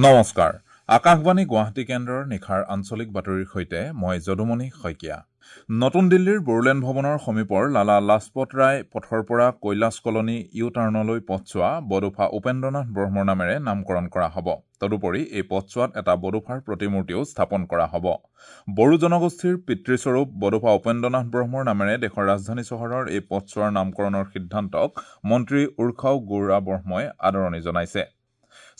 নমস্কাৰ, আকাশবাণী গুৱাহাটী কেন্দ্ৰৰ নিশাৰ আঞ্চলিক বাতৰিৰ সৈতে মই যদুমণি শইকীয়া। নতুন দিল্লীৰ বড়োলেণ্ড ভৱনৰ সমীপৰ লালা লাজপত ৰায় পথৰ পৰা কৈলাশ কলনী ইউ টাৰ্ণলৈ পথছোৱা বডোফা উপেন্দ্ৰনাথ ব্ৰহ্মৰ নামেৰে নামকৰণ কৰা হ'ব। তদুপৰি এই পথছোৱাত এটা বডোফাৰ প্ৰতিমূৰ্তিও স্থাপন কৰা হ'ব। বড়ো জনগোষ্ঠীৰ পিতৃস্বৰূপ বডোফা উপেন্দ্ৰনাথ ব্ৰহ্মৰ নামেৰে দেশৰ ৰাজধানী চহৰৰ এই পথছোৱাৰ নামকৰণৰ সিদ্ধান্তক মন্ত্ৰী উৰ্খাও গৌৰা ব্ৰহ্মই আদৰণি জনাইছে।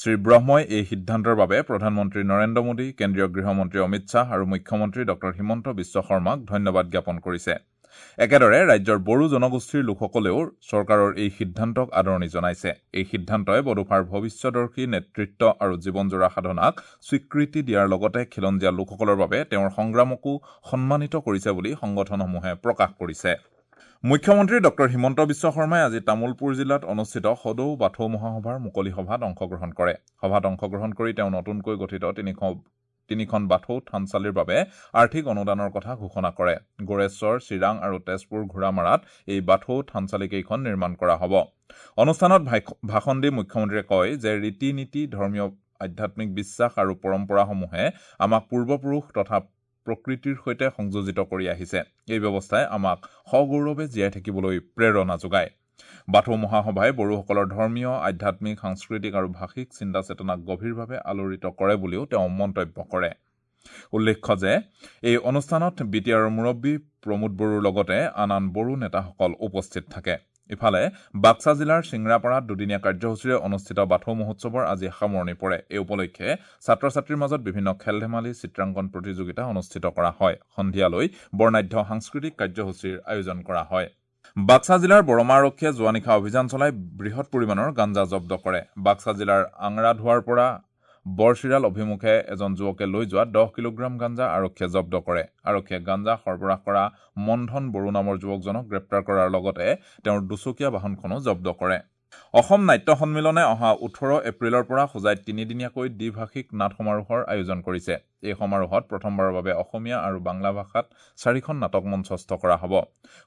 শ্ৰী ব্ৰহ্মই এই সিদ্ধান্তৰ বাবে প্ৰধানমন্ত্ৰী নৰেন্দ্ৰ মোদী, কেন্দ্ৰীয় গৃহমন্ত্ৰী অমিত শ্বাহ আৰু মুখ্যমন্ত্ৰী ডঃ হিমন্ত বিশ্ব শৰ্মাক ধন্যবাদ জ্ঞাপন কৰিছে। একেদৰে ৰাজ্যৰ বড়ো জনগোষ্ঠীৰ লোকসকলেও চৰকাৰৰ এই সিদ্ধান্তক আদৰণি জনাইছে। এই সিদ্ধান্তই বডোফাৰ ভৱিষ্যদৰ্শী নেতৃত্ব আৰু জীৱনজোৰা সাধনাক স্বীকৃতি দিয়াৰ লগতে খিলঞ্জীয়া লোকসকলৰ বাবে তেওঁৰ সংগ্ৰামকো সন্মানিত কৰিছে বুলি সংগঠনসমূহে প্ৰকাশ কৰিছে। মুখ্যমন্ত্ৰী ডঃ হিমন্ত বিশ্ব শৰ্মাই আজি তামুলপুৰ জিলাত অনুষ্ঠিত সদৌ বাথৌ মহাসভাৰ মুকলি সভাত অংশগ্ৰহণ কৰে। সভাত অংশগ্ৰহণ কৰি তেওঁ নতুনকৈ গঠিত তিনিখন বাথৌ থানচালিৰ বাবে আৰ্থিক অনুদানৰ কথা ঘোষণা কৰে। গোৰেশ্বৰ, চিৰাং আৰু তেজপুৰ ঘোঁৰামাৰাত এই বাথৌ থানচালিকেইখন নিৰ্মাণ কৰা হ'ব। অনুষ্ঠানত ভাষণ দি মুখ্যমন্ত্ৰীয়ে কয় যে ৰীতি নীতি, ধৰ্মীয় আধ্যাত্মিক বিশ্বাস আৰু পৰম্পৰাসমূহে আমাক পূৰ্বপুৰুষ তথা প্ৰকৃতিৰ সৈতে সংযোজিত কৰি আহিছে। এই ব্যৱস্থাই আমাক সগৌৰৱে জীয়াই থাকিবলৈ প্ৰেৰণা যোগায়। বাথৌ মহাসভাই বড়োসকলৰ ধৰ্মীয়, আধ্যাত্মিক, সাংস্কৃতিক আৰু ভাষিক চিন্তা চেতনাক গভীৰভাৱে আলোড়িত কৰে বুলিও তেওঁ মন্তব্য কৰে। উল্লেখ্য যে এই অনুষ্ঠানত বি টি আৰৰ মুৰব্বী প্ৰমোদ বড়োৰ লগতে আন আন বড়ো নেতাসকল উপস্থিত থাকে। ইফালে বাক্সা জিলাৰ চিংৰাপাৰাত দুদিনীয়া কাৰ্যসূচীৰে অনুষ্ঠিত বাথৌ মহোৎসৱৰ আজি সামৰণি পৰে। এই উপলক্ষে ছাত্ৰ ছাত্ৰীৰ মাজত বিভিন্ন খেল ধেমালি, চিত্ৰাংকন প্ৰতিযোগিতা অনুষ্ঠিত কৰা হয়। সন্ধিয়ালৈ বৰ্ণাঢ্য সাংস্কৃতিক কাৰ্যসূচীৰ আয়োজন কৰা হয়। বাক্সা জিলাৰ বৰমা আৰক্ষীয়ে যোৱা নিশা অভিযান চলাই বৃহৎ পৰিমাণৰ গাঞ্জা জব্দ কৰে। বাক্সা জিলাৰ আংৰাধোৱাৰ পৰা বৰচিৰাল অভিমুখে এজন যুৱকে লৈ যোৱা 10 কিলোগ্ৰাম গাঞ্জা আৰক্ষীয়ে জব্দ কৰে। আৰক্ষীয়ে গাঞ্জা সৰবৰাহ কৰা মনধন বড়ো নামৰ যুৱকজনক গ্ৰেপ্তাৰ কৰাৰ লগতে তেওঁৰ দুচকীয়া বাহনখনো জব্দ কৰে। অসম নাট্য সন্মিলনে অহা 18 এপ্ৰিলৰ পৰা হোজাইত তিনিদিনীয়াকৈ দ্বিভাষিক নাট সমাৰোহৰ আয়োজন কৰিছে। এই সমাৰোহত প্ৰথমবাৰৰ বাবে অসমীয়া আৰু বাংলা ভাষাত 4খন নাটক মঞ্চস্থ কৰা হ'ব।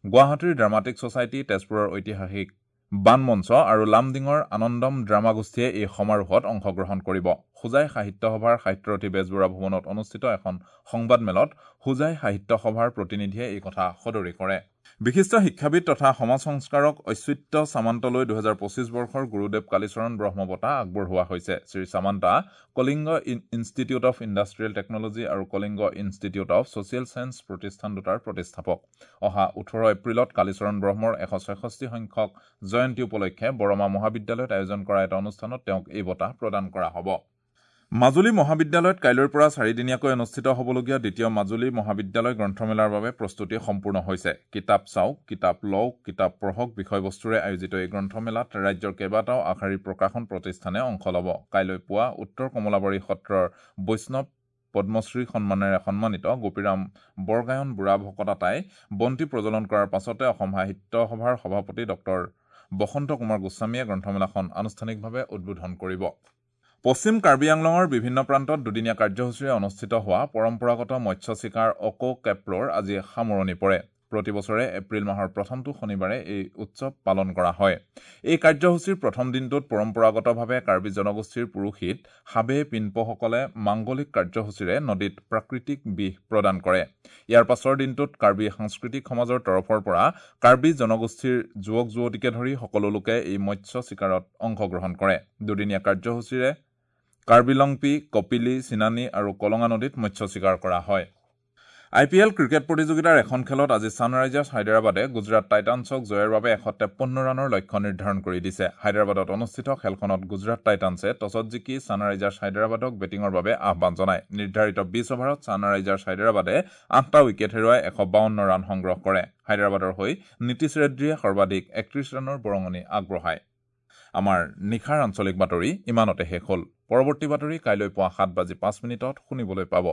গুৱাহাটীৰ ড্ৰামাটিক ছ'চাইটি, তেজপুৰৰ ঐতিহাসিক বান মঞ্চ আৰু লামডিঙৰ আনন্দম ড্ৰামা গোষ্ঠীয়ে এই সমাৰোহত অংশগ্ৰহণ কৰিব। হোজাই সাহিত্য সভাৰ সাহিত্যৰথী বেজবৰুৱা ভৱনত অনুষ্ঠিত এখন সংবাদমেলত হোজাই সাহিত্য সভাৰ প্ৰতিনিধিয়ে এই কথা সদৰি কৰে। বিশিষ্ট শিক্ষাবিদ তথা সমাজ সংস্কাৰক অচ্যুত্য সামন্তলৈ 2025 বৰ্ষৰ গুৰুদেৱ কালীচৰণ ব্ৰহ্ম বঁটা আগবঢ়োৱা হৈছে। Shri Samanta Kalinga institute of industrial technology আৰু Kalinga institute of social science প্ৰতিষ্ঠান দুটাৰ প্ৰতিষ্ঠাপক। অহা 18 এপ্ৰিলত কালীচৰণ ব্ৰহ্মৰ 166 সংখ্যক জয়ন্তী উপলক্ষে বৰমা মহাবিদ্যালয়ত আয়োজন কৰা এটা অনুষ্ঠানত তেওঁক এই বঁটা প্ৰদান কৰা হ'ব। মাজুলী মহাবিদ্যালয়ত কাইলৈৰ পৰা চাৰিদিনীয়াকৈ অনুষ্ঠিত হ'বলগীয়া দ্বিতীয় মাজুলী মহাবিদ্যালয় গ্ৰন্থমেলাৰ বাবে প্ৰস্তুতি সম্পূৰ্ণ হৈছে। কিতাপ চাওক, কিতাপ লওক, কিতাপ পঢ়ক বিষয়বস্তুৰে আয়োজিত এই গ্ৰন্থমেলাত ৰাজ্যৰ কেইবাটাও আগশাৰীৰ প্ৰকাশন প্ৰতিষ্ঠানে অংশ ল'ব। কাইলৈ পুৱা উত্তৰ কমলাবাৰী সত্ৰৰ বৈষ্ণৱ পদ্মশ্ৰী সন্মানেৰে সন্মানিত গোপীৰাম বৰগায়ন বুঢ়া ভকতাতাই বন্তি প্ৰজ্বলন কৰাৰ পাছতে অসম সাহিত্য সভাৰ সভাপতি ডঃ বসন্ত কুমাৰ গোস্বামীয়ে গ্ৰন্থমেলাখন আনুষ্ঠানিকভাৱে উদ্বোধন কৰিব। পশ্চিম কাৰ্বি আংলঙৰ বিভিন্ন প্ৰান্তত দুদিনীয়া কাৰ্যসূচীৰে অনুষ্ঠিত হোৱা পৰম্পৰাগত মৎস্য চিকাৰ অক' কেপ্ৰৰ আজি সামৰণি পৰে। প্ৰতি বছৰে এপ্ৰিল মাহৰ প্ৰথমটো শনিবাৰে এই উৎসৱ পালন কৰা হয়। এই কাৰ্যসূচীৰ প্ৰথম দিনটোত পৰম্পৰাগতভাৱে কাৰ্বি জনগোষ্ঠীৰ পুৰোহিত হাবে পিনপসকলে মাংগলিক কাৰ্যসূচীৰে নদীত প্ৰাকৃতিক বিষ প্ৰদান কৰে। ইয়াৰ পাছৰ দিনটোত কাৰ্বি সাংস্কৃতিক সমাজৰ তৰফৰ পৰা কাৰ্বি জনগোষ্ঠীৰ যুৱক যুৱতীকে ধৰি সকলো লোকে এই মৎস্য চিকাৰত অংশগ্ৰহণ কৰে। দুদিনীয়া কাৰ্যসূচীৰে কাৰ্বি লংপি, কপিলি, চিনানী আৰু কলঙা নদীত মৎস্য চিকাৰ কৰা হয়। আই পি এল ক্ৰিকেট প্ৰতিযোগিতাৰ এখন খেলত আজি ছানৰাইজাৰ্ছ হায়দৰাবাদে গুজৰাট টাইটানছক জয়ৰ বাবে 153 ৰানৰ লক্ষ্য নিৰ্ধাৰণ কৰি দিছে। হায়দৰাবাদত অনুষ্ঠিত খেলখনত গুজৰাট টাইটানছে টছত জিকি ছানৰাইজাৰ্ছ হায়দৰাবাদক বেটিঙৰ বাবে আহ্বান জনায়। নিৰ্ধাৰিত 20 অভাৰত ছানৰাইজাৰ্ছ হায়দৰাবাদে 8টা উইকেট হেৰুৱাই 152 ৰান সংগ্ৰহ কৰে। হায়দৰাবাদৰ হৈ নীতিশ ৰেড্ডীয়ে সৰ্বাধিক 31 ৰানৰ বৰঙণি আগবঢ়ায়। আমাৰ নিশাৰ আঞ্চলিক বাতৰি ইমানতে শেষ হ'ল। পৰৱৰ্তী বাতৰি কাইলৈ পুৱা 7:05 শুনিবলৈ পাব।